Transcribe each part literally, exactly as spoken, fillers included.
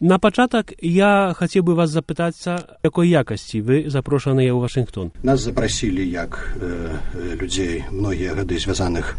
На пачатак я хацеў бы вас запытацца, якой якасці вы запрошаныя ў Вашынгтон. Нас запрасілі як э, людзей многія гады звязаных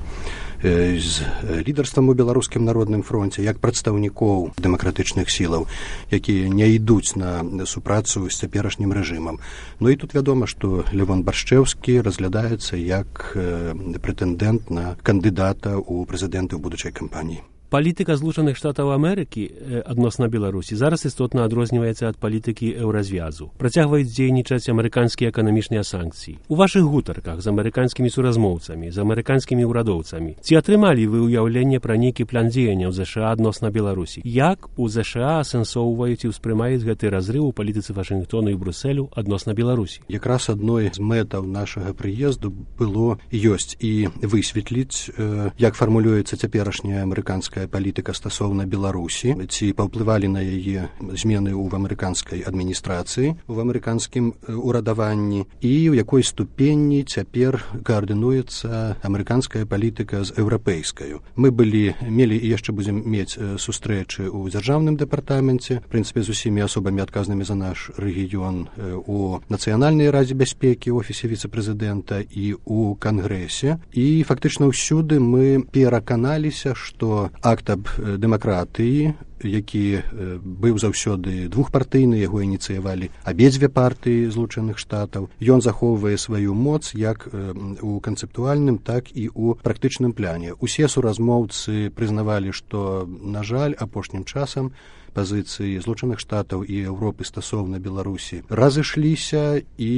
э, з лідарствам у беларускім народным фронце, як прадстаўнікоў дэмакратычных сілаў, якія не ідуць на супрацу з цяперашнім рэжымам. Ну і тут вядома, што Левон Баршчэўскі разглядаецца як э, прэтэндэнт на кандыдата ў прэзідэнты ў будучай кампаніі. Палітыка Злучаных Штатаў Амерыкі адносна Беларусі зараз істотна адрозніваецца ад палітыкі еўразвязу. Працягваюць дзейнічаць амерыканскія эканамічныя санкцыі. У вашых гутарках з амерыканскімі суразмоўцамі, з амерыканскімі ўрадоўцамі ці атрымалі вы ўяўленне пра нейкі план дзеянняў ЗША адносна Беларусі? Як у ЗША асэнсоўваюць і ўспрымаюць гэты разрыў у палітыцы Вашынгтону і Брусэлю адносна Беларусі? Якраз адной з мэтаў нашага прыезду было ёсць і высветліць, як фармулюецца цяперашняя амерыканская палітыка стасоўна Беларусі, ці паўплывалі на яе змены ў амерыканскай адміністрацыі, у амерыканскім урадаванні, і ў якой ступені цяпер каардынуецца амерыканская палітыка з еўрапейскаю. Мы былі, мелі і яшчэ будзем мець сустрэчы ў дзяржаўным дэпартаменце, в прынцыпе, з усімі асобамі адказнымі за наш рэгіён у Нацыянальнай радзе бяспекі, ў офісе віцэ-прэзідэнта і ў Кангрэсе. І фактычна ўсюды мы пераканаліся, што акт аб дэмакратыі, які быў заўсёды двухпартыйны, яго ініцыявалі абедзве партыі Злучаных Штатаў, ён захоўвае сваю моц як у канцэптуальным, так і ў практычным пляне. Усе суразмоўцы прызнавалі, што, на жаль, апошнім часам пазіцыі Злучаных Штатаў і Еўропы стасоўна Беларусі разышліся, і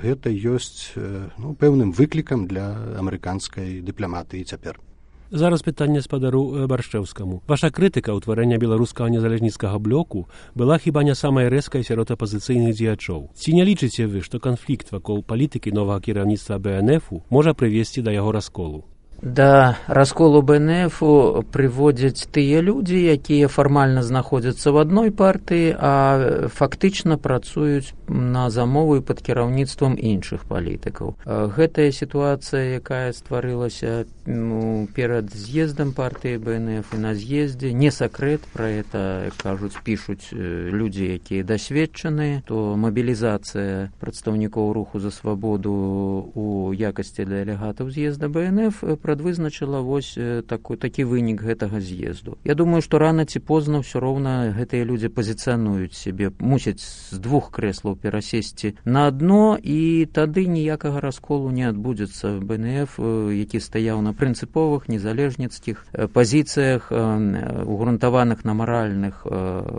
гэта ёсць ну, пэўным выклікам для амерыканскай дыпламатыі цяпер. Зараз пытанне спадару Баршчэўскаму. Ваша крытыка ўтварэння беларускага незалежніцкага блоку была хіба не самай рэзкай сярод апазіцыйных дзеячоў. Ці не лічыце вы, што канфлікт вакол палітыкі новага кіраўніцтва бэ эн эфу можа прывесці да яго расколу? Да расколу бэ эн эфу прыводзяць тыя людзі, якія фармальна знаходзяцца ў адной партыі, а фактычна працуюць на замову і пад кіраўніцтвам іншых палітыкаў. Гэтая сітуацыя, якая стварылася ну, перад з'ездам партыі бэ эн эф і на з'ездзе, не сакрэт, пра гэта кажуць, пішуць людзі, якія дасведчаныя, то мабілізацыя прадстаўнікоў руху за свабоду у якасці дэлегатаў з'езда бэ эн эф прадвызначыла вось такі, такі вынік гэтага з'езду. Я думаю, што рана ці позна ўсё роўна гэтыя людзі пазіцыянуюць сябе, мусяць з двух крэслаў перасесці на адно, і тады ніякага расколу не адбудзецца. бэ эн эф, які стаяў на прынцыповых незалежніцкіх пазіцыях, угрунтаваных на маральных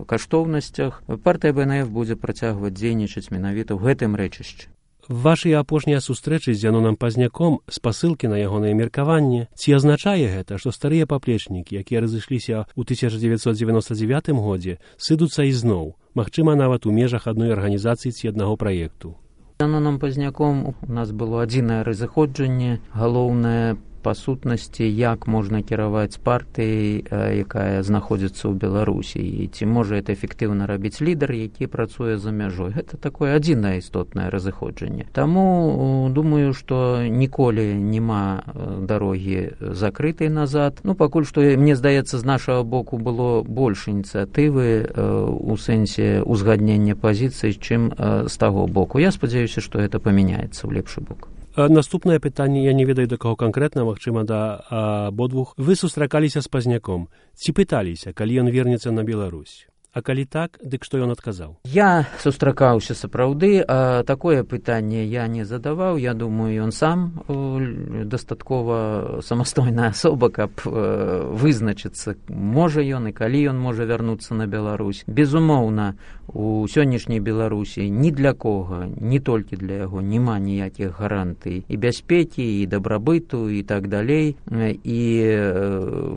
каштоўнасцях, партыя бэ эн эф будзе працягваць дзейнічаць менавіта ў гэтым рэчышчы. Вашыя апошнія сустрэчы з Зянонам Пазняком, спасылкі на ягонае меркаванне, ці азначае гэта, што старыя паплечнікі, якія разышліся ў тысяча дзевяцьсот дзевяноста дзевятым годзе, сыдуцца ізноў, магчыма, нават у межах адной арганізацыі ці аднаго праекту? З Зяноном Пазняком у нас было адзінае разыходжанне, галоўнае па сутнасці, як можна кіраваць партыяй, якая знаходзіцца ў Беларусі, і ці можа это эфектыўна рабіць лідар, які працуе за мяжой. Гэта такое адзінае істотнае разыходжанне. Таму думаю, што ніколі няма дарогі закрытай назад. Ну, пакуль што, мне здаецца, з нашага боку было больш ініцыятывы у сэнсе узгаднення пазіцый, чым з таго боку. Я спадзяюся, што гэта памяняецца ў лепшы бок. Наступнае пытанне, я не ведаю, да каго канкрэтна, магчыма, да абодвух. Вы сустракаліся з Пазняком. Ці пыталіся, калі ён вернецца на Беларусь? А калі так, дык што ён адказаў? Я сустракаўся сапраўды, а такое пытанне я не задаваў. Я думаю, ён сам дастаткова самастойная асоба, каб вызначыцца, можа ён і калі ён можа вярнуцца на Беларусь. Безумоўна, у сённяшняй Беларусі ні для кога, не толькі для яго, няма ніякіх гарантый і бяспекі, і дабрабыту, і так далей. І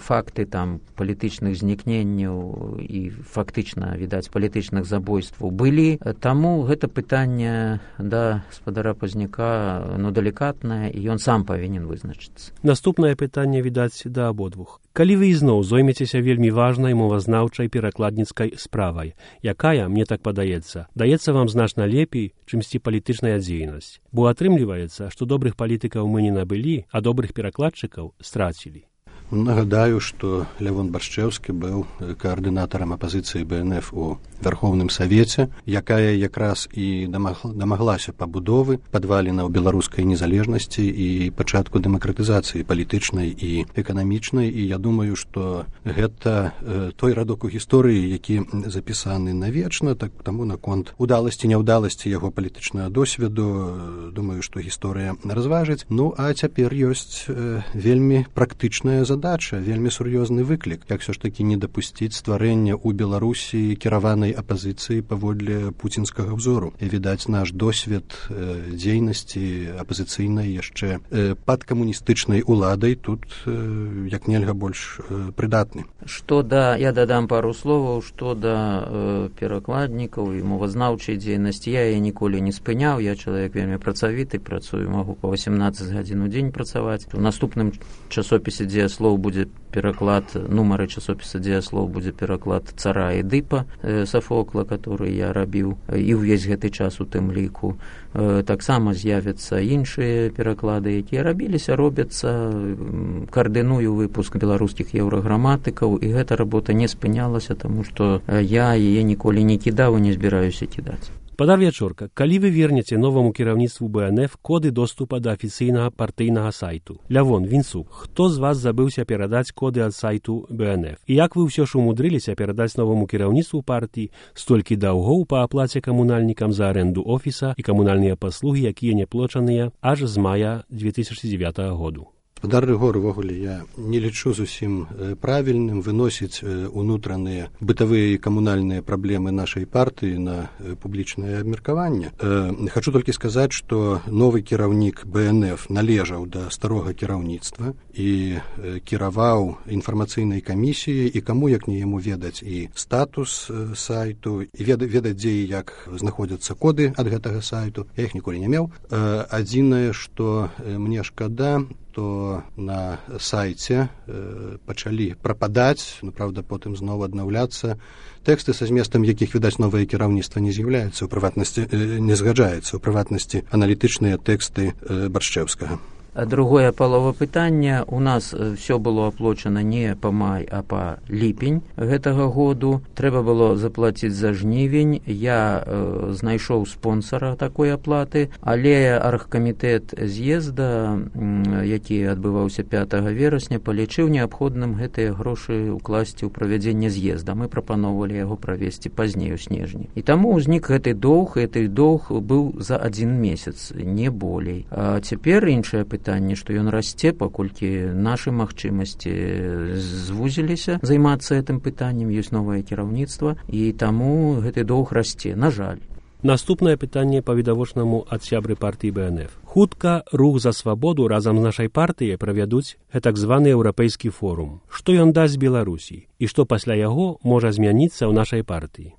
факты там палітычных знікненняў і фактычна, відаць, палітычных забойстваў былі. Таму гэта пытанне да спадара Пазняка, ну, далікатнае, і ён сам павінен вызначыцца. Наступнае пытанне, відаць, да абодвух. Калі вы ізноў зоймецеся вельмі важнай мовазнаўчай перакладніцкай справай, якая, мне так падаецца, даецца вам значна лепей, чымсьці палітычная дзейнасць. Бо атрымліваецца, што добрых палітыкаў мы не набылі, а добрых перакладчыкаў страцілі. Нагадаю, што Лявон Баршчэўскі быў каардынатарам апазіцыі бэ эн эф у Вярхоўным Савеце, якая якраз і дамаглася пабудовы падвалінаў беларускай незалежнасці і пачатку дэмакратызацыі палітычнай і эканамічнай. І я думаю, што гэта той радок у гісторыі, які запісаны навечна, так таму наконт удаласці, няўдаласці яго палітычнага досведу, думаю, што гісторыя разважыць. Ну, а цяпер ёсць вельмі практычная задача, вельмі сур'ёзны выклік, як все ж такі не дапусціць стварэння ў Беларусі кіраванай апазіцыі паводле пуцінскага ўзору. І, відаць, наш досвед э, дзейнасці апазіцыйнай яшчэ э, пад камуністычнай уладай тут э, як нельга больш э, прыдатны. Што да, я дадам пару словаў, што да э, перакладнікаў і мовазнаўчай дзейнасці. Я яе ніколі не спыняў, я чалавек вельмі працавіты, працую, магу па васемнаццаць гадзін у дзень працаваць. У наступным часопісе дзеяслоў будзе пераклад, нумары часопіса дзеяслоў будзе пераклад Цара Эдыпа э, Сафокла, который я рабіў і ўвесь гэты час у тым ліку. Э, таксама з'явяцца іншыя пераклады, якія рабіліся, робяцца. Каардыную выпуск беларускіх еўраграматыкаў, і гэта работа не спынялася, таму што я яе ніколі не кідаў і не збіраюся кідаць. Спадар Вячорка, калі вы вернеце новаму кіраўніцтву бэ эн эф коды доступа да афіцыйнага партыйнага сайту? Лявон, Вінцук, хто з вас забыўся перадаць коды ад сайту бэ эн эф? І як вы ўсё ж умудрыліся перадаць новаму кіраўніцтву партыі столькі даўгоў па аплаце камунальнікам за арэнду офіса і камунальныя паслугі, якія не плочаныя аж з мая две тысячы дзевятага году? Спадар Рыгор, увогуле, я не лічу зусім правільным выносіць унутраныя бытавыя і камунальныя праблемы нашай партыі на публічнае абмеркаванне. Хачу толькі сказаць, што новы кіраўнік бэ эн эф належаў да старога кіраўніцтва і кіраваў інфармацыйнай камісіяй, і каму, як не яму, ведаць і статус сайту, і ведаць, дзе і як знаходзяцца коды ад гэтага сайту. Я іх ніколі не меў. Адзінае, што мне шкада, то на сайце э, пачалі прападаць, ну, правда, потым зноў аднаўляцца тэксты, са зместам якіх, відаць, новае кіраўніцтва не з'яўляецца, у прыватнасці э, не згаджаецца, у прыватнасці аналітычныя тэксты э, Баршчэўскага. А другое палова пытання. У нас все было аплочана не па май, а па ліпень гэтага году. Трэба было заплаціць за жнівень. Я э, знайшоў спонсара такой аплаты, але аргкамітэт з'езда, э, які адбываўся пятага верасня, палічыў неабходным гэтыя грошы ўкласці ў правядзенне з'езда. Мы прапаноўвалі яго правесці пазней у снежні. І таму ўзнік гэты доўг, гэты доўг быў за адзін месяц, не болей. А цяпер іншае пытанне, пытанне, што ён расце, паколькі нашы магчымасці звузіліся займацца гэтым пытаннем, ёсць новае кіраўніцтва, і таму гэты доўг расце, на жаль. Наступнае пытанне па відавочнаму ад сябры партыі бэ эн эф. Хутка рух за свабоду разам з нашай партыяй правядуць гэтак званы еўрапейскі форум. Што ён дасць Беларусі і што пасля яго можа змяніцца ў нашай партыі?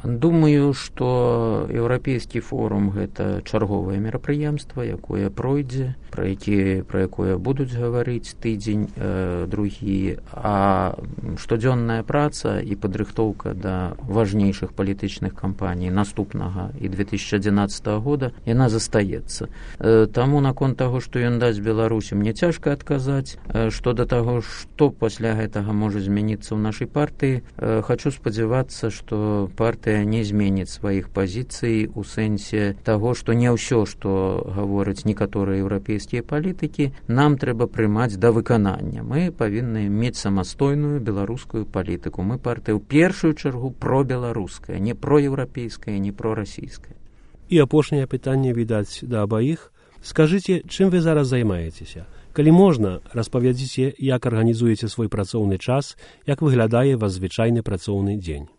Думаю, што еўрапейскі форум – гэта чарговае мерапрыемства, якое пройдзе, пра які, пра якое будуць гаварыць тыдзень, э, другі, а штодзённая праца і падрыхтоўка да важнейшых палітычных кампаній наступнага і две тысячы адзінаццатага года, яна застаецца. Э, таму наконт таго, што ён дасць Беларусі, мне цяжка адказаць. Э, што да таго, што пасля гэтага можа змяніцца ў нашай партыі, э, хачу спадзявацца, што партыя не зменіць сваіх пазіцый у сэнсе таго, што не ўсё, што гавораць некаторыя еўрапейскія палітыкі, нам трэба прымаць да выканання. Мы павінны мець самастойную беларускую палітыку. Мы партыя ў першую чаргу пробеларуская, не проеўрапейская, не прорасійская. І апошняе пытанне, відаць, да абаіх. Скажыце, чым вы зараз займаецеся? Калі можна, распавядзіце, як арганізуеце свой працоўны час, як выглядае ваш звычайны працоўны дзень.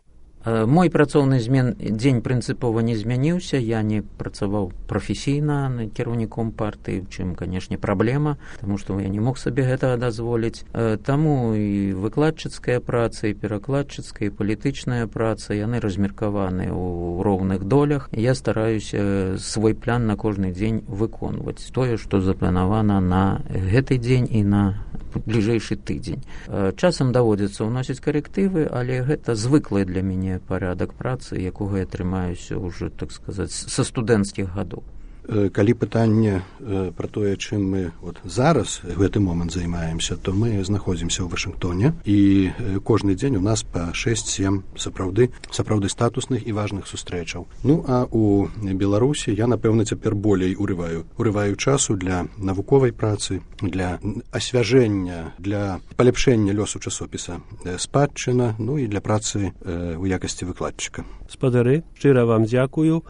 Мой працоўны змен дзень прынцыпова не змяніўся, я не працаваў прафесійна кіраўніком партыі, у чым, канешне, праблема, таму што я не мог сабе гэтага дазволіць. Таму і выкладчыцкая праца, і перакладчыцкая, і палітычная праца, яны размеркаваны ў роўных долях. Я стараюся свой план на кожны дзень выконваць. Тое, што запланавана на гэты дзень і на бліжэйшы тыдзень. Часам даводзіцца ўносіць карэктывы, але гэта звыклы для мяне парадак працы, якога я трымаюся ўжо, так сказаць, са студэнцкіх гадоў. калі пытанне пра тое, чым мы вот зараз гэты момант займаемся, то мы знаходзімся ў Вашынгтоне, і кожны дзень у нас па шэсць-сем сапраўды сапраўды статусных і важных сустрэчаў. Ну а у Беларусі я, напэўна, цяпер болей урываю урываю часу для навуковай працы, для асвяжэння, для паляпшэння лёсу часопіса «Спадчына», ну і для працы ў якасці выкладчыка. Спадары, шчыра вам дзякую.